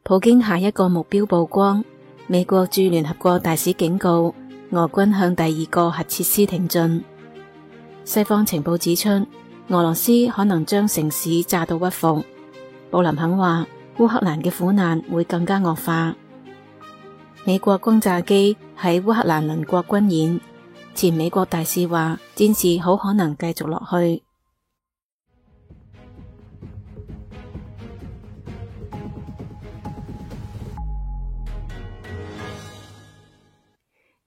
普京下一個目標曝光，美國駐聯合國大使警告俄軍向第二個核設施挺進。西方情報指出，俄羅斯可能將城市炸到屈服。布林肯話，烏克蘭嘅苦難會更加惡化。美國轟炸機喺烏克蘭鄰國軍演，前美國大使話，戰事好可能繼續落去。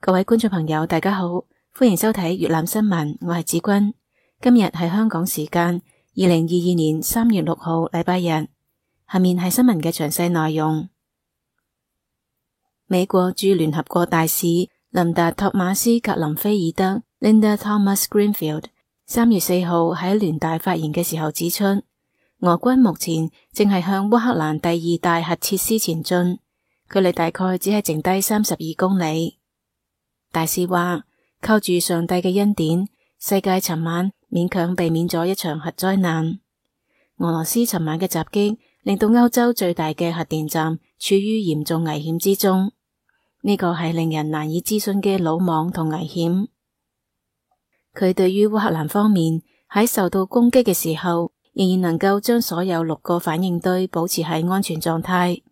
各位觀眾朋友，大家好，歡迎收睇粵覽新聞，我係子君。今日係香港時間2022年3月6號禮拜日。下面係新聞嘅詳細內容。美國駐聯合國大使琳達·托馬斯格林菲爾德 Linda Thomas Greenfield 3月4號喺聯大發言嘅時候指出，俄軍目前正係向烏克蘭第二大核設施前進，距離大概只係剩低32公里。大使話，靠住上帝嘅恩典，世界尋晚勉強避免咗一場核災難。俄羅斯尋晚嘅襲擊令到歐洲最大嘅核電站處於嚴重危險之中，呢個係令人難以置信嘅魯莽同危險。佢對於烏克蘭方面喺受到攻擊嘅時候，仍然能夠將所有6個反應堆保持喺安全狀態，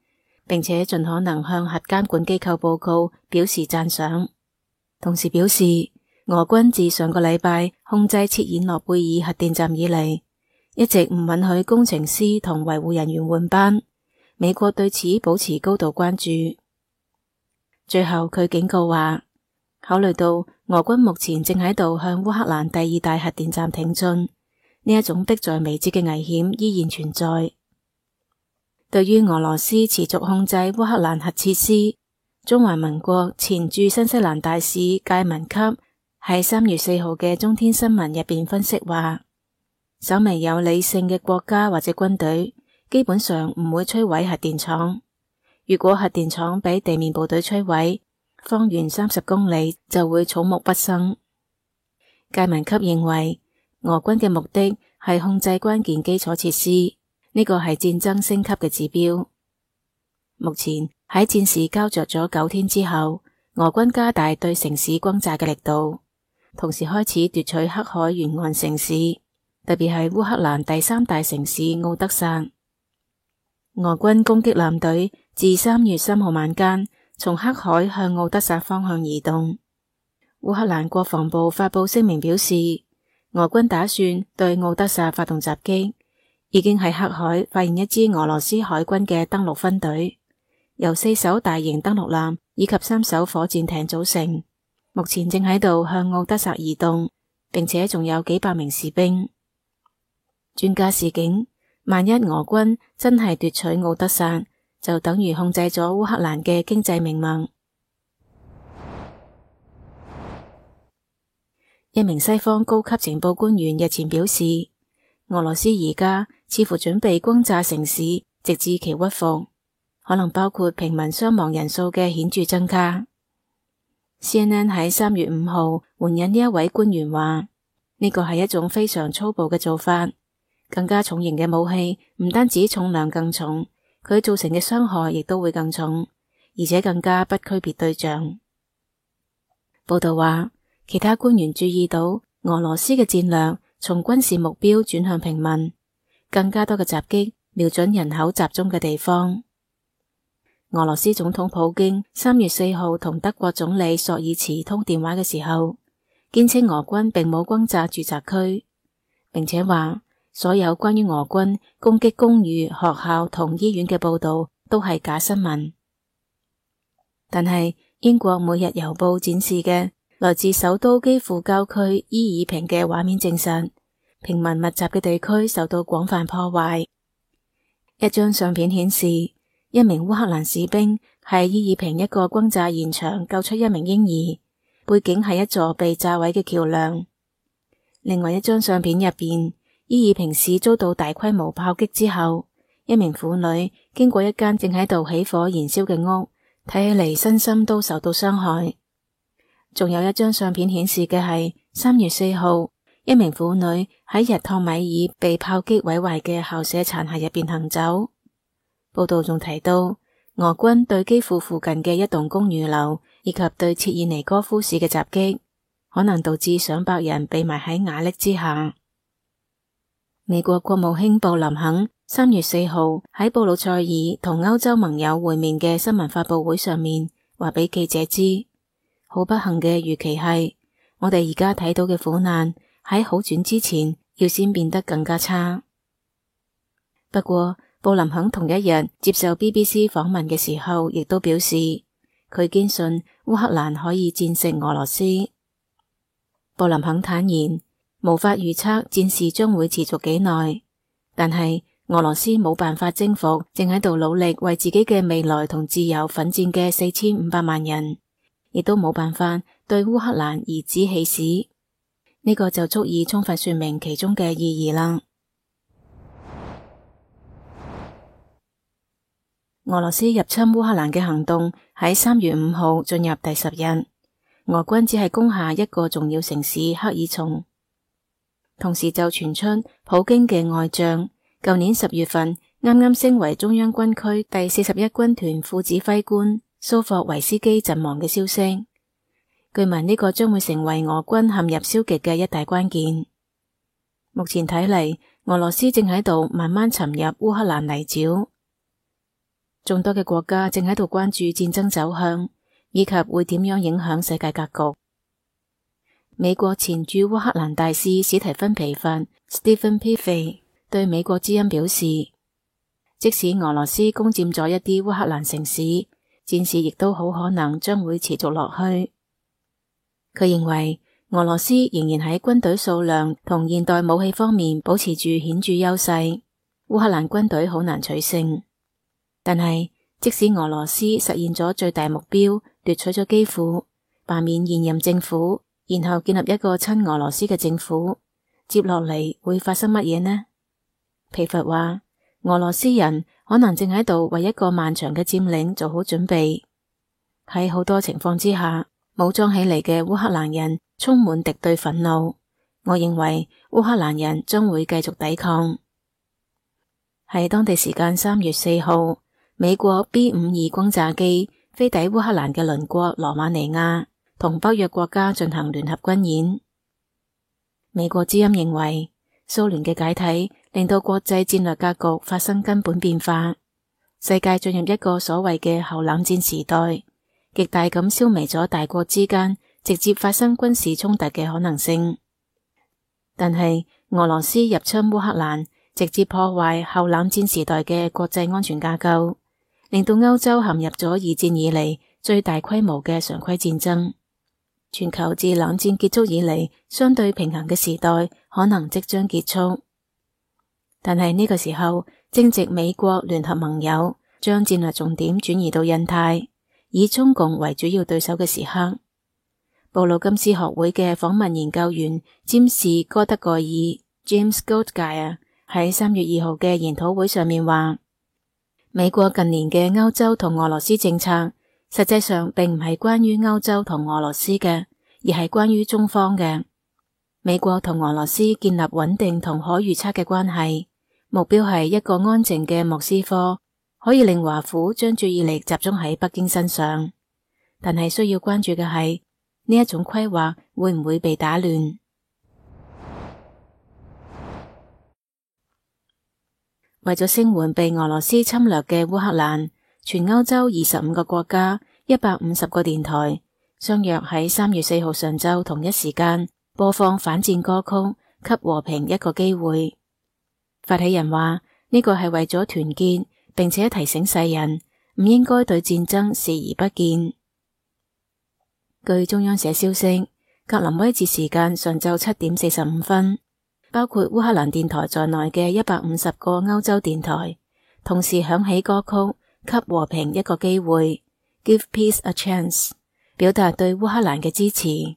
並且盡可能向核監管機構報告，表示讚賞。同時表示，俄軍自上個禮拜控制切爾諾貝爾核電站以嚟，一直唔允許工程師同維護人員換班。美國對此保持高度關注。最後佢警告話，考慮到俄軍目前正喺度向烏克蘭第二大核電站挺進，呢一種迫在眉睫嘅危險依然存在。對於俄羅斯持續控制烏克蘭核設施，中華民國前駐新西蘭大使介文級喺3月4號嘅中天新聞入邊分析話，稍微有理性嘅國家或者軍隊基本上唔會摧毀核電廠。如果核電廠俾地面部隊摧毀，方圓30公里就會草木不生。介文級認為，俄軍嘅目的係控制關鍵基礎設施，呢個係戰爭升級嘅指標。目前喺戰事膠着咗9天之後，俄軍加大對城市轟炸嘅力度，同時開始奪取黑海沿岸城市，特別係烏克蘭第3大城市敖德薩。俄軍攻擊艦隊自3月3號晚間從黑海向敖德薩方向移動。烏克蘭國防部發佈聲明表示，俄軍打算對敖德薩發動襲擊，已經喺黑海發現一支俄羅斯海軍嘅登陸分隊，由4艘大型登陸艦以及3艘火箭艇組成，目前正喺度向敖德薩移動，並且仲有幾百名士兵。專家示警，萬一俄軍真係奪取敖德薩，就等於控制咗烏克蘭嘅經濟命脈。一名西方高級情報官員日前表示，俄羅斯而家似乎準備轟炸城市，直至其屈服，可能包括平民傷亡人數嘅顯著增加。CNN 喺3月5號援引呢一位官員話，呢個係一種非常粗暴嘅做法，更加重型嘅武器唔單止重量更重，佢造成嘅傷害亦都會更重，而且更加不區別對象。報道話，其他官員注意到俄羅斯嘅戰略從軍事目標轉向平民，更加多嘅襲擊瞄準人口集中嘅地方。俄羅斯總統普京3月4號同德國總理朔爾茨通電話嘅時候，堅稱俄軍並冇轟炸住宅區，並且話所有關於俄軍攻擊公寓、學校同醫院嘅報道都係假新聞。但係英國每日郵報展示嘅來自首都基輔郊區伊爾平嘅畫面證實，平民密集嘅地區受到廣泛破壞。一張相片顯示，一名烏克蘭士兵喺伊爾平一個轟炸現場救出一名嬰兒，背景係一座被炸毀嘅橋樑。另外一張相片入邊，伊爾平市遭到大規模炮擊之後，一名婦女經過一間正喺度起火燃燒嘅屋，睇起嚟身心都受到傷害。仲有一張相片顯示嘅係3月4號，一名婦女喺日托米爾被炮擊毀壞嘅校舍殘骸入邊行走。報道仲提到，俄軍對基輔附近嘅一棟公寓樓以及對切爾尼戈夫市嘅襲擊，可能導致上百人被埋喺瓦礫之下。美國國務卿布林肯3月4號喺布魯塞爾同歐洲盟友會面嘅新聞發佈會上面話俾記者知，好不幸嘅預期係，我哋而家睇到嘅苦難喺好轉之前要先變得更加差。不過，布林肯同一日接受 BBC 訪問嘅時候，亦都表示佢堅信烏克蘭可以戰勝俄羅斯。布林肯坦言，無法預測戰事將會持續幾耐，但係俄羅斯冇辦法征服正喺度努力為自己嘅未來同自由奮戰嘅4500萬人，亦都冇辦法對烏克蘭頤指氣使。呢個就足以充分說明其中嘅意義啦。俄羅斯入侵烏克蘭嘅行動喺3月5號進入第10日，俄軍只係攻下一個重要城市克爾松。同時就傳出普京嘅愛將舊年10月份啱啱升為中央軍區第41軍團副指揮官蘇霍維斯基陣亡嘅消息。據聞呢個將會成為俄軍陷入消極嘅一大關鍵。目前睇嚟，俄羅斯正喺度慢慢沉入烏克蘭泥沼。眾多嘅國家正喺度關注戰爭走向，以及會點樣影響世界格局。美國前駐烏克蘭大使史提芬皮法 （Stephen Piffey） 對美國之音表示，即使俄羅斯攻佔咗一啲烏克蘭城市，戰事亦都好可能將會持續落去。佢認為俄羅斯仍然喺軍隊數量同現代武器方面保持住顯著優勢，烏克蘭軍隊好難取勝。但係，即使俄羅斯實現咗最大目標，奪取咗基輔，罷免現任政府，然後建立一個親俄羅斯嘅政府，接落嚟會發生乜嘢呢？皮佛話，俄羅斯人可能正喺度為一個漫長嘅佔領做好準備。喺好多情況之下，武裝起嚟嘅烏克蘭人充滿敵對憤怒。我認為烏克蘭人將會繼續抵抗。喺當地時間3月4號，美國 B-52 轟炸機飛抵烏克蘭嘅鄰國羅馬尼亞，同北約國家進行聯合軍演。美國之音認為，蘇聯嘅解體令到國際戰略格局發生根本變化，世界進入一個所謂嘅後冷戰時代，極大咁消弭咗大國之間直接發生軍事衝突嘅可能性。但係俄羅斯入侵烏克蘭，直接破壞後冷戰時代嘅國際安全架構，令到歐洲陷入咗2戰以嚟最大規模嘅常規戰爭。全球自冷戰結束以嚟相對平衡嘅時代可能即將結束。但係呢個時候，正值美國聯合盟友將戰略重點轉移到印太，以中共為主要對手嘅時刻。布魯金斯學會嘅訪問研究員詹士哥德蓋爾 James Goldgeier 喺3月2號嘅研討會上面話，美國近年嘅歐洲同俄羅斯政策，實際上並唔係關於歐洲同俄羅斯嘅，而係關於中方嘅。美國同俄羅斯建立穩定同可預測嘅關係，目標係一個安靜嘅莫斯科，可以令華府將注意力集中喺北京身上。但係需要關注嘅係，呢一種規劃會唔會被打亂？為咗聲援被俄羅斯侵略嘅烏克蘭，全歐洲25個國家、150個電台相約喺3月4號上晝同一時間播放反戰歌曲，給和平一個機會。發起人話，呢個係為咗團結，並且提醒世人唔應該對戰爭視而不見。據中央社消息，格林威治時間上晝7點45分，包括烏克蘭電台在內嘅150個歐洲電台同時響起歌曲，給和平一個機會 Give Peace a Chance， 表達對烏克蘭嘅支持。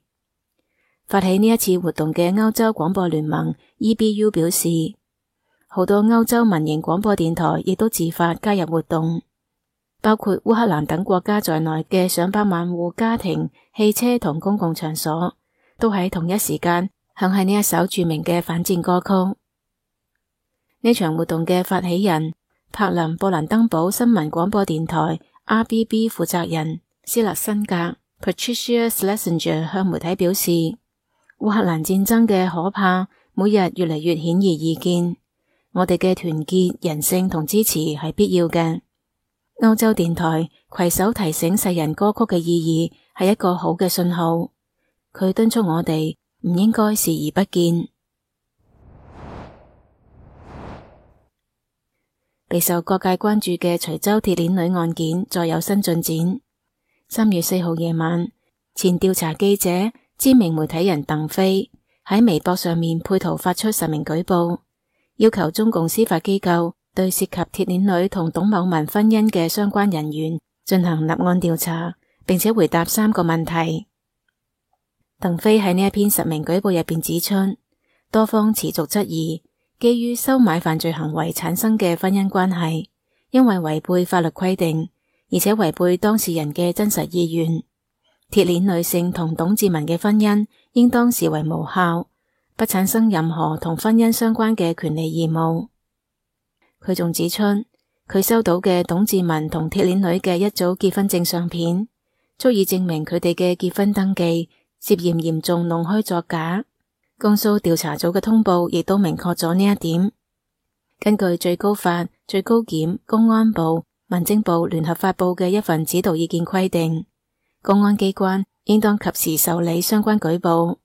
發起呢一次活動嘅歐洲廣播聯盟 EBU 表示，好多歐洲民營廣播電台亦都自發加入活動，包括烏克蘭等國家在內嘅上百萬戶家庭、汽車同公共場所都喺同一時間響起呢一首著名嘅反戰歌曲。呢場活動嘅發起人柏林布蘭登堡新聞廣播電台 RBB 負責人斯勒辛格 Patricia Schlesinger 向媒體表示，烏克蘭戰爭嘅可怕每日越嚟越顯而易見，我哋嘅團結、人性同支持係必要嘅。歐洲電台攜手提醒世人歌曲嘅意義係一個好嘅信號，佢敦促我哋唔應該視而不見。備受各界關注嘅徐州鐵鏈女案件再有新進展。3月4號夜晚，前調查記者、知名媒體人鄧飛喺微博上面配圖發出實名舉報，要求中共司法機構對涉及鐵鏈女同董某文婚姻嘅相關人員進行立案調查，並且回答3個問題。鄧飛喺呢一篇實名舉報入邊指出，多方持續質疑基於收買犯罪行為產生嘅婚姻關係，因為違背法律規定，而且違背當事人嘅真實意願，鐵鏈女性同董志文嘅婚姻應當視為無效，不產生任何同婚姻相關嘅權利義務。佢仲指出，佢收到嘅董志文同鐵鏈女嘅一組結婚證相片，足以證明佢哋嘅結婚登記涉嫌嚴重弄虛作假。江蘇調查組嘅通報亦都明確咗呢一點。根據最高法、最高檢、公安部、民政部聯合發布嘅一份指導意見規定，公安機關應當及時受理相關舉報。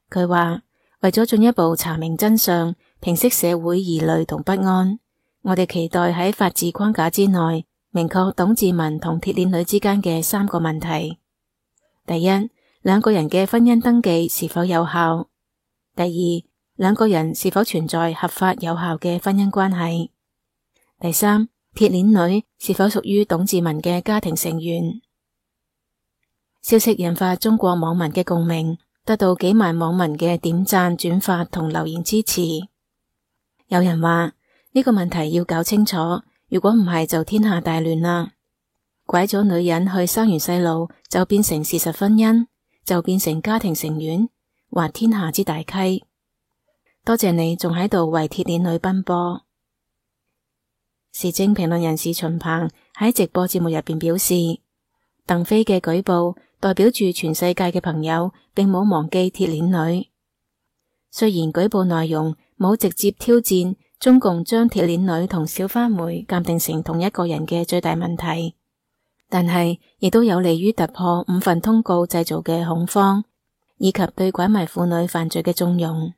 佢話，為咗進一步查明真相，平息社會疑慮同不安，我哋期待喺法治框架之內，明確董志文同鐵鏈女之間嘅3個問題。第一，兩個人嘅婚姻登記是否有效？第二，兩個人是否存在合法有效嘅婚姻關係？第三，鐵鏈女是否屬於董志文嘅家庭成員？消息引發中國網民嘅共鳴，得到幾萬網民嘅點讚、轉發同留言支持。有人話呢個問題要搞清楚，如果唔係就天下大亂啦。拐咗女人去生完細路就變成事實婚姻，就變成家庭成員，滑天下之大稽。多謝你仲喺度為鐵鏈女奔波。時政評論人士秦鵬喺直播節目入邊表示，鄧飛嘅舉報代表住全世界嘅朋友並冇忘記鐵鏈女。雖然舉報內容冇直接挑戰中共將鐵鏈女同小花梅鑑定成同一個人嘅最大問題，但係亦都有利於突破5份通告製造嘅恐慌，以及對拐賣婦女犯罪嘅縱容。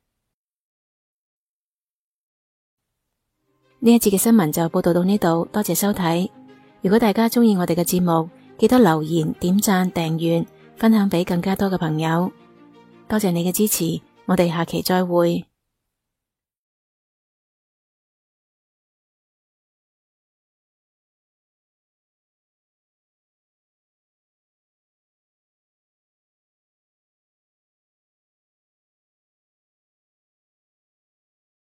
呢一節嘅新聞就報道到呢度，多謝收睇。如果大家鍾意我哋嘅節目，記得留言、點讚、訂閱、分享俾更加多嘅朋友。多謝你嘅支持，我哋下期再會。